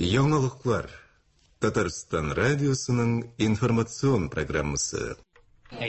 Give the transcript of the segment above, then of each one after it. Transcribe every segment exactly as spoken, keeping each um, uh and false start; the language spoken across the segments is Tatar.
Яңалыклар. Татарстан радиосының информацион программасы.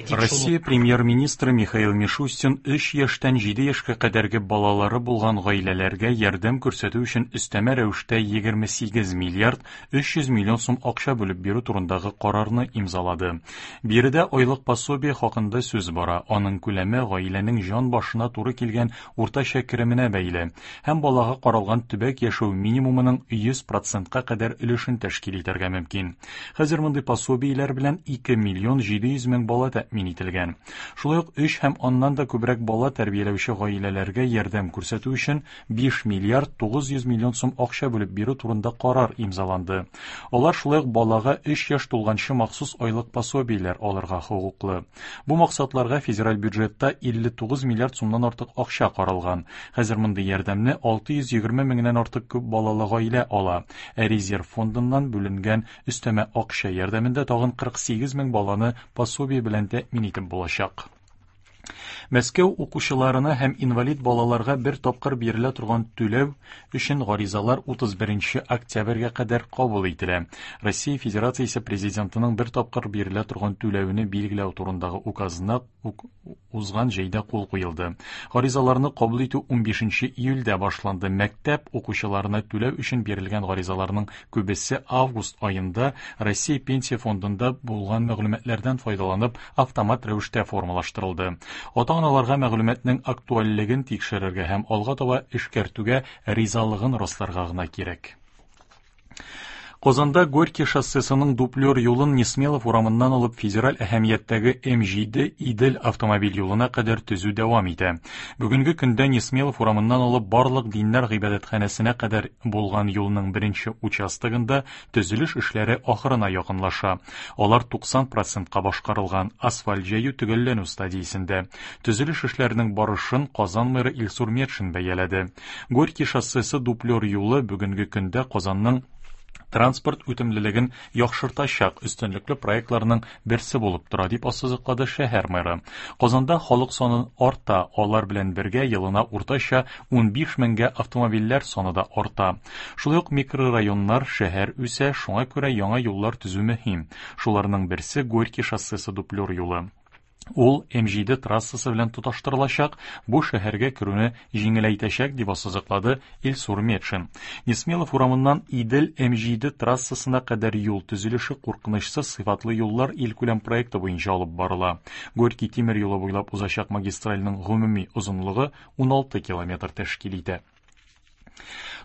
Россия премьер-министры Михаил Мишустин өч яшьтән җиде яшькә кадәрге балалары булган гаиләләргә ярдәм күрсәтү өчен өстәмә рәвештә егерме сигез миллиард өч йөз миллион сум акча бүлеп бирү турындагы карарны имзалады. Биредә айлык пособие хакында сүз бара. Аның күләме гаиләнең җан башына туры килгән уртача кеременә бәйле һәм балага каралган төбәк яшәү минимумының йөз процентка кадәр өлешен тәшкил итәргә мөмкин. Хәзер мондый пособиеләр белән ике миллион җиде йөз мең бала тәэмин ителгән. Шулай ук өч һәм аннан да күбрәк бала тәрбияләүче гаиләләргә ярдәм күрсәтү өчен биш миллиард тугыз йөз миллион сум акча бүлеп бирү турында карар имзаланды. Алар шулай ук балага өч яшь тулганчы махсус айлык пособиеләр алырга хокуклы. Бу максатларга федераль бюджетта илле тугыз миллиард сумнан артык акча каралган. Хәзер мондый ярдәмне алты йөз егерме меңнән артык күп балалы гаилә ала. Ә резерв фондыннан бүленгән өстәмә акча ярдәмендә тагын кырык сигез мең баланы пособие белән тәэмин итеп булачак. Мәскәү укучыларына һәм инвалид балаларга бер тапкыр бирелә торган түләү өчен гаризалар утыз беренче октябрьгә кадәр кабул ителә. Россия Федерациясе президентының бер тапкыр бирелә торган түләүне билгеләү турындагы указына ук-, узган җәйдә кул куелды. Гаризаларны кабул итү унбишенче июльдә башланды. Мәктәп укучыларына түләү өчен бирелгән гаризаларның күбесе август аенда Россия Пенсия фондында булган мәгълүматлардан файдаланып автомат рәвештә формалаштырылды. Ата-аналарга мәгълүматның актуальлеген тикшерергә һәм алга таба эшкәртүгә ризалыгын расларга гына кирәк. Казанда Горький шоссесының дуплер юлын Несмелов урамыннан алып федераль әһәмияттәге М җиде Идел автомобиль юлына кадәр төзү дәвам итә. Бүгенге көндә Несмелов урамыннан алып барлык диннәр гыйбадәтханәсенә кадәр булган юлның беренче участогында төзелеш эшләре ахырына якынлаша. Алар туксан процентка башкарылган, асфальт җәю төгәлләнү стадиясендә. Төзелеш эшләренең барышын Казан мэры Илсур Метшин бәяләде. Горький шоссесы дуплер юлы бүгенге көндә Казанның транспорт үтемлелеген яхшыртачак өстенлекле проектларның берсе булып тора, дип ассызыклады шәһәр мэры. Казанда халык саны арта, алар белән бергә елына уртача унбиш меңгә автомобильләр саны да арта. Шулай ук микрорайоннар, шәһәр үсә, шуңа күрә яңа юллар төзү мөһим. Шуларның берсе Горький шоссесы дуплер юлы. Ул М җиде трассасы белән тоташтырылачак, бу шәһәргә керүне җиңеләйтәчәк, дип ассызыклады Илсур Метшин. Несмелов урамыннан Идел М җиде трассасына кадәр юл төзелеше куркынычсыз сыйфатлы юллар илкүләм проекты буенча алып барыла. Горький тимер юлы буйлап узачак магистральның гомуми озынлыгы уналты километр тәшкил итә.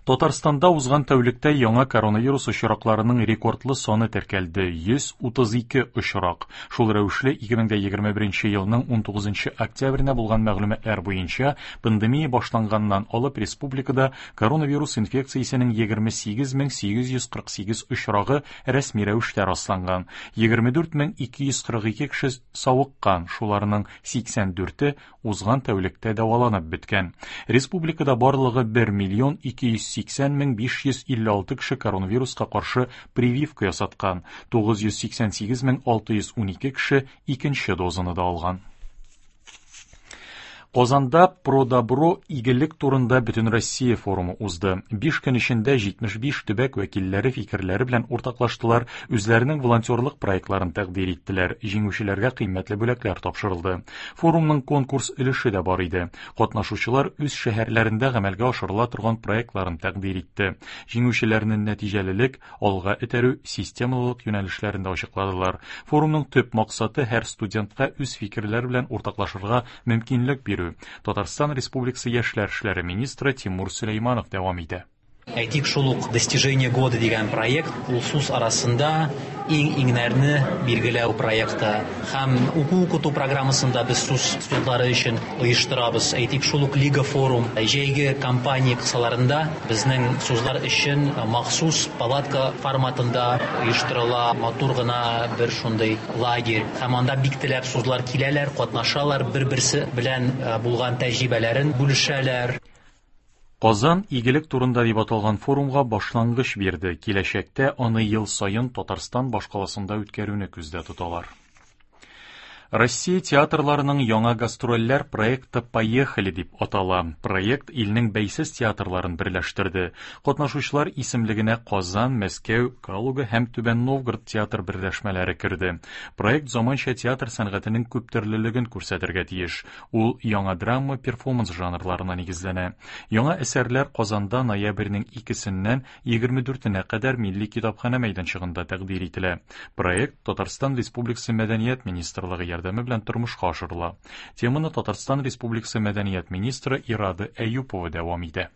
Татарстанда узган тәүлектә яңа коронавирус очракларының рекордлы саны теркәлде йөз утыз ике очрак. Шул рәвешле ике мең дә егерме беренче елның унтугызынчы октябренә булган мәгълүматлар буенча пандемия башланганнан алып республикада коронавирус инфекциясенең егерме сигез мең сигез йөз кырык сигез очрагы рәсми рәвештә расланган. Егерме дүрт мең ике йөз кырык ике кеше савыккан, шуларның сиксән дүрте узган тәүлектә дәваланып беткән. Республикада барлыгы бер миллион ике йөз сиксән мең биш йөз илле алты кеше коронавируска каршы прививка ясаткан, тугыз йөз сиксән сигез мең алты йөз унике кеше икенче дозаны да алган. Казанда Продобро игелек турында Бөтенроссия форумы узды. Биш көн эчендә җитмеш биш төбәк вәкилләре фикерләре белән уртаклаштылар, үзләренең волонтерлык проектларын тәкъдир иттеләр, җиңүчеләргә кыйммәтле бүләкләр тапшырылды. Форумның конкурс өлеше дә бар иде. Катнашучылар үз шәһәрләрендә гамәлгә ашырыла торган проектларын тәкъдир итте. Җиңүчеләрнең нәтиҗәлелек, алга этәрү, системалылык юнәлешләрен дә ачыкладылар. Форумның төп максаты һәр студентка үз фикерләре белән уртаклашырга мөмкинлек бирү. Татарстан Республикасы яшьләр эшләре министры Тимур Сөләйманов дәвам итә. Әйтик, шул ук Достижение года дигән проект ул СУС арасында иң-иңнәрне билгеләү проекты һәм уку-укыту программасында без СУС студентлары өчен оештырабыз. Әйтик, шул ук Лига форум җәйге кампания кысаларында безнең СУСлар өчен махсус палатка форматында оештырыла матур гына бер шундый лагерь. Һәм анда бик теләп СУСлар киләләр, катнашалар, бер-берсе белән, э, булган тәҗрибәләрен бүлешәләр. Казан игелек турында дип аталган форумга башлангыч бирде. Киләчәктә аны ел саен Татарстан башкаласында үткәрүне күздә тоталар. Россия театрларының яңа гастрольләр проекты «Поехали» дип атала. Проект илнең бәйсез театрларын берләштерде. Катнашучылар исемлегенә Казан, Мәскәү, Калуга һәм Түбән Новгород театр берләшмәләре керде. Проект заманча театр сәнгатенең күптөрлелеген күрсәтергә тиеш. Ул яңа драма, перформанс жанрларына нигезләнә. Яңа әсәрләр Казанда ноябрьнең икесеннән егерме дүртенә кадәр Милли китапханә мәйданчыгында тәкъдир ителә. Проект Татарстан Республикасы Мәдәният министрлыгы ярдәме белән тормышка ашырыла. Теманы Татарстан Республикасы Мәдәният министры Ирада Әюпова дәвам итә.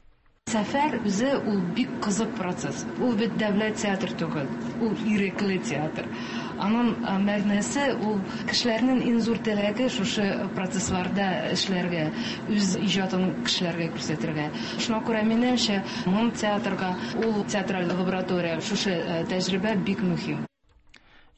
Сәфәр үзе ул бик кызык процесс. Ул бит дәүләт театр түгел, ул ирекле театр. Аның мәгънәсе ул кешеләрнең иң зур теләге шушы процессларда эшләргә, үз иҗатын кешеләргә күрсәтергә. Шуңа күрә минемчә, моң театрга, ул театраль лаборатория, шушы тәҗрибә бик мөһим.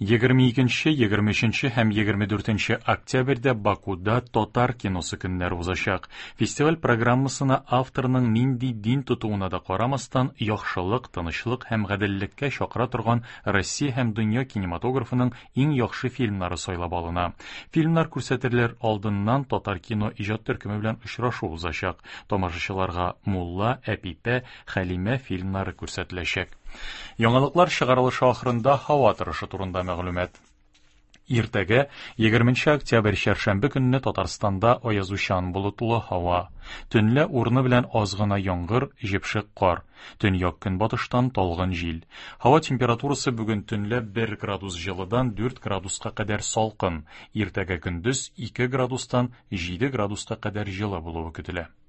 Егерме икенче, егерме өченче һәм егерме дүртенче октябрьдә Бакуда татар киносы көннәре узачак. Фестиваль программасына авторның нинди дин тотуына да карамастан, яхшылык, тынычлык һәм гаделлеккә чакыра торган Россия һәм дөнья кинематографының иң яхшы фильмнары сайлап алына. Фильмнар күрсәтелер алдыннан татар кино иҗат төркеме белән очрашу узачак. Тамашачыларга Мулла, Әпипә, Хәлимә фильмнары күрсәтеләчәк. Яңалыклар чыгарылышы ахырында һава торышы турында мәгълүмат. Иртәгә егерменче октябрь чәршәмбе көнне Татарстанда аязучан болытлы һава. Төнлә урыны белән аз гына яңгыр, җепшек кар. Төньяк көнбатыштан талгын җил. Һава температурасы бүген төнлә бер градус җылыдан дүрт градуска кадәр салкын. Иртәгә көндез ике градустан җиде градуска кадәр җылы булуы көтелә.